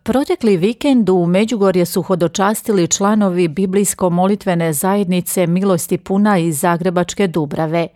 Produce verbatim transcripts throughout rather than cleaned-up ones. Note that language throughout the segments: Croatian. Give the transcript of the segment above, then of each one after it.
Protekli vikend u Međugorje su hodočastili članovi biblijsko-molitvene zajednice Milosti puna iz Zagrebačke Dubrave.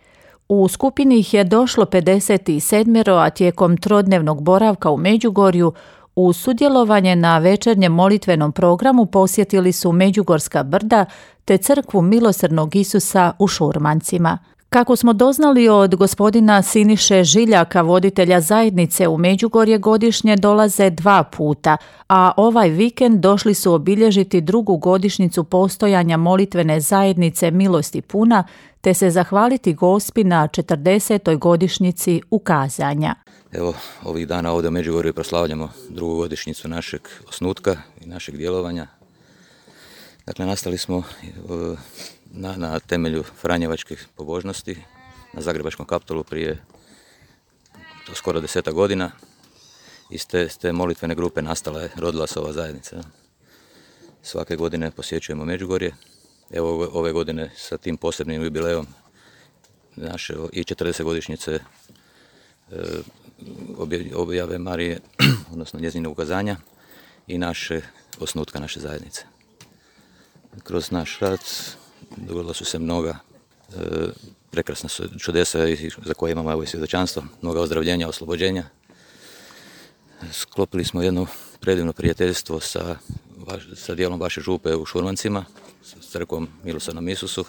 U skupini ih je došlo pedeset sedam, a tijekom trodnevnog boravka u Međugorju u sudjelovanje na večernjem molitvenom programu posjetili su Međugorska brda te crkvu Milosrdnog Isusa u Šurmancima. Kako smo doznali od gospodina Siniše Žiljaka, voditelja zajednice u Međugorje, godišnje dolaze dva puta, a ovaj vikend došli su obilježiti drugu godišnjicu postojanja molitvene zajednice Milosti puna, te se zahvaliti Gospi na četrdesetoj godišnjici ukazanja. Evo, ovih dana ovdje u Međugorju proslavljamo drugu godišnjicu našeg osnutka i našeg djelovanja. Dakle, nastali smo na, na temelju franjevačkih pobožnosti na Zagrebačkom Kaptolu prije skoro deseta godina. Iz te, te molitvene grupe nastala je, rodila se ova zajednica. Svake godine posjećujemo Međugorje. Evo ove godine sa tim posebnim jubilejom naše i četrdesetogodišnjice objave Marije, odnosno njezine ukazanja i naše osnutka naše zajednice. Kroz naš rad dogodila su se mnoga e, prekrasna čudesa za koje imamo evo i svjedočanstvo, mnoga ozdravljenja, oslobođenja. Sklopili smo jedno predivno prijateljstvo sa, sa dijelom vaše župe u Šurmancima, s crkvom Milosrdnom Isusu,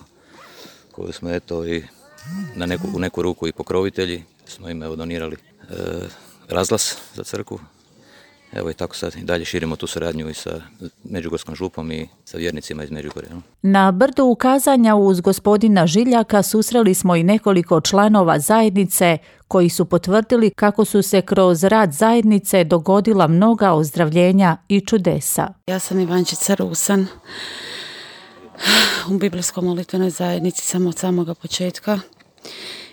koju smo eto i na neku, u neku ruku i pokrovitelji, smo im evo donirali e, razglas za crkvu. Evo i tako sad i dalje širimo tu suradnju i sa Međugorskom župom i sa vjernicima iz Međugorja. Na brdu ukazanja uz gospodina Žiljaka susreli smo i nekoliko članova zajednice koji su potvrdili kako su se kroz rad zajednice dogodila mnoga ozdravljenja i čudesa. Ja sam Ivančica Rusan. U biblijskom molitvenoj zajednici sam od samoga početka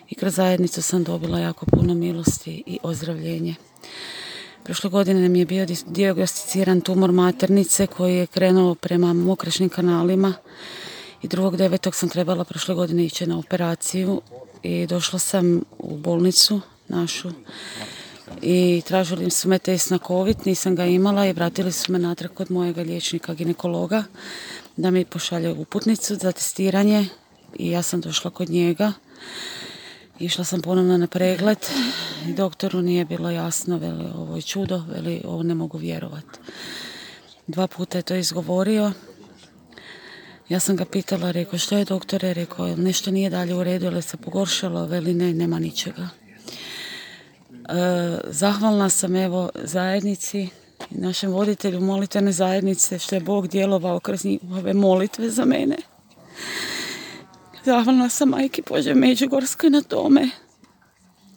i kroz zajednicu sam dobila jako puno milosti i ozdravljenje. Prošle godine mi je bio dijagnosticiran tumor maternice koji je krenuo prema mokrešnim kanalima i drugog devetog sam trebala prošle godine ići na operaciju i došla sam u bolnicu našu i tražili su me test na COVID, nisam ga imala i vratili su me natrag kod mojega liječnika ginekologa da mi pošalje uputnicu za testiranje i ja sam došla kod njega. Išla sam ponovno na pregled i doktoru nije bilo jasno, veli ovo je čudo, veli ovo ne mogu vjerovati. Dva puta je to izgovorio. Ja sam ga pitala, rekao što je doktore, rekao nešto nije dalje u redu, ali se pogoršalo, veli ne, nema ničega. E, zahvalna sam evo zajednici i našem voditelju molitvene zajednice što je Bog djelovao kroz njihove molitve za mene. Zahvalna sam majki Božje Međugorskoj na tome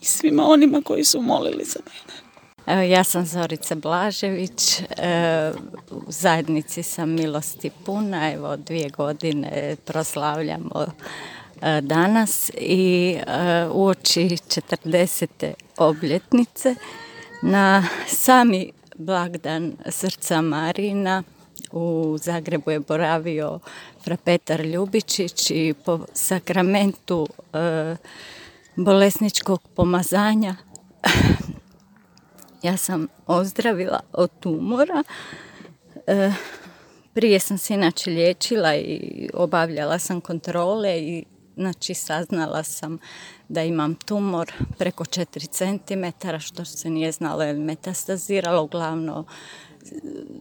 i svima onima koji su molili za mene. Evo, ja sam Zorica Blažević, e, u zajednici sam Milosti puna, evo dvije godine proslavljamo e, danas i e, uoči četrdesete obljetnice na sami blagdan Srca Marijina u Zagrebu je boravio fra Petar Ljubičić i po sakramentu e, bolesničkog pomazanja ja sam ozdravila od tumora. E, prije sam se inače liječila i obavljala sam kontrole i znači saznala sam da imam tumor preko četiri centimetra, što se nije znalo je metastaziralo, uglavnom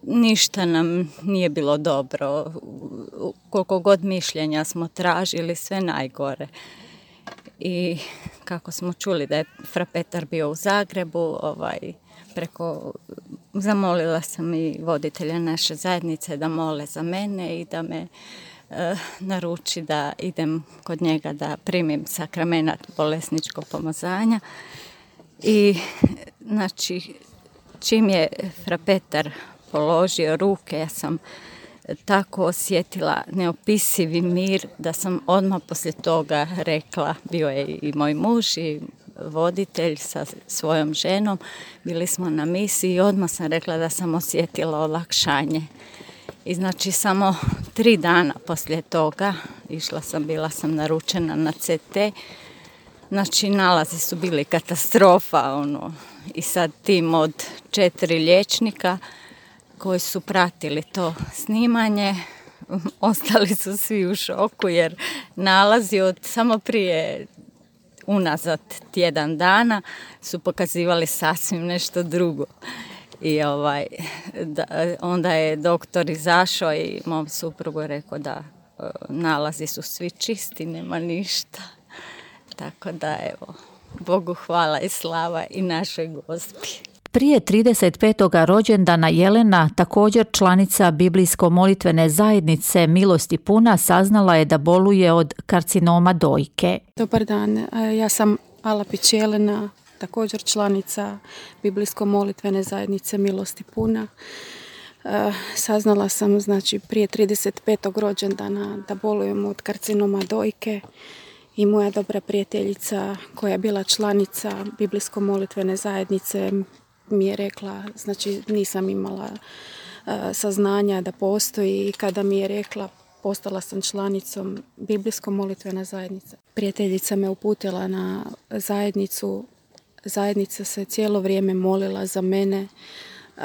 ništa nam nije bilo dobro. Koliko god mišljenja smo tražili, sve najgore. I kako smo čuli da je fra Petar bio u Zagrebu, ovaj, preko, zamolila sam i voditelja naše zajednice da mole za mene i da me e, naruči da idem kod njega da primim sakramenat bolesničkog pomazanja. I znači čim je fra Petar položio ruke, ja sam tako osjetila neopisivi mir da sam odmah poslije toga rekla, bio je i moj muž i voditelj sa svojom ženom, bili smo na misiji i odmah sam rekla da sam osjetila olakšanje. I znači samo tri dana poslije toga, išla sam, bila sam naručena na C T, znači nalazi su bili katastrofa, ono, i sad tim od četiri liječnika koji su pratili to snimanje, ostali su svi u šoku jer nalazi od samo prije unazad tjedan dana su pokazivali sasvim nešto drugo. I ovaj, da, onda je doktor izašao i mom suprugu rekao da e, nalazi su svi čisti, nema ništa. Tako da evo, Bogu hvala i slava i našoj Gospi. Prije trideset petog rođendana Jelena, također članica biblijsko-molitvene zajednice Milosti puna, saznala je da boluje od karcinoma dojke. Dobar dan, ja sam Alapić Jelena, također članica biblijsko-molitvene zajednice Milosti puna. Saznala sam znači prije trideset petog rođendana da bolujem od karcinoma dojke i moja dobra prijateljica koja je bila članica biblijsko-molitvene zajednice mi je rekla, znači nisam imala uh, saznanja da postoji i kada mi je rekla postala sam članicom biblijsko-molitvene zajednice. Prijateljica me uputila na zajednicu, zajednica se cijelo vrijeme molila za mene. Uh,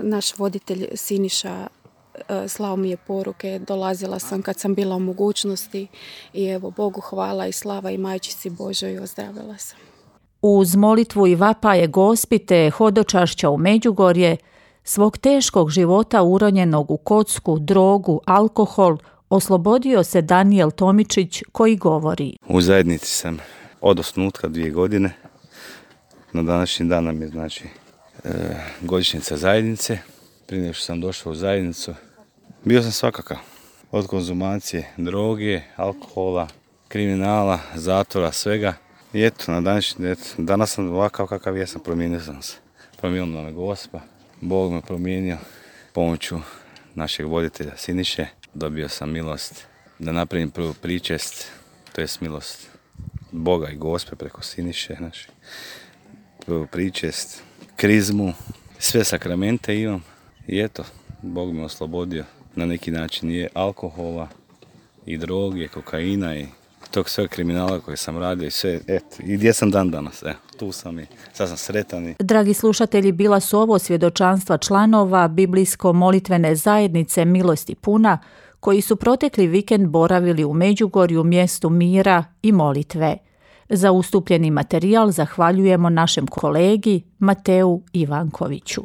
naš voditelj Siniša uh, slao mi je poruke, dolazila sam kad sam bila u mogućnosti i evo Bogu hvala i slava i Majčici Božoj ozdravila sam. Uz molitvu i vapaje Gospi te hodočašća u Međugorje, svog teškog života uronjenog u kocku, drogu, alkohol, oslobodio se Danijel Tomičić koji govori. U zajednici sam od osnutka dvije godine. Na današnji dan nam je znači e, godišnjica zajednice. Prije nego što sam došao u zajednicu, bio sam svakakav. Od konzumacije droge, alkohola, kriminala, zatvora, svega. I eto, na današnji, eto, danas sam ovakav kakav jesam, promijenio sam se. Promijenila me Gospa, Bog me promijenio pomoću našeg voditelja Siniše. Dobio sam milost da napravim prvu pričest, to jest milost Boga i Gospe preko Siniše naše. Prvu pričest, krizmu, sve sakramente imam. I eto, Bog me oslobodio na neki način je alkohola i droge, kokaina i tog sve kriminala koje sam radio i sve, eto, i gdje sam dan danas, evo, tu sam i sad sam sretan. I... Dragi slušatelji, bila su ovo svjedočanstva članova biblijsko-molitvene zajednice Milosti puna, koji su protekli vikend boravili u Međugorju, mjestu mira i molitve. Za ustupljeni materijal zahvaljujemo našem kolegi Mateu Ivankoviću.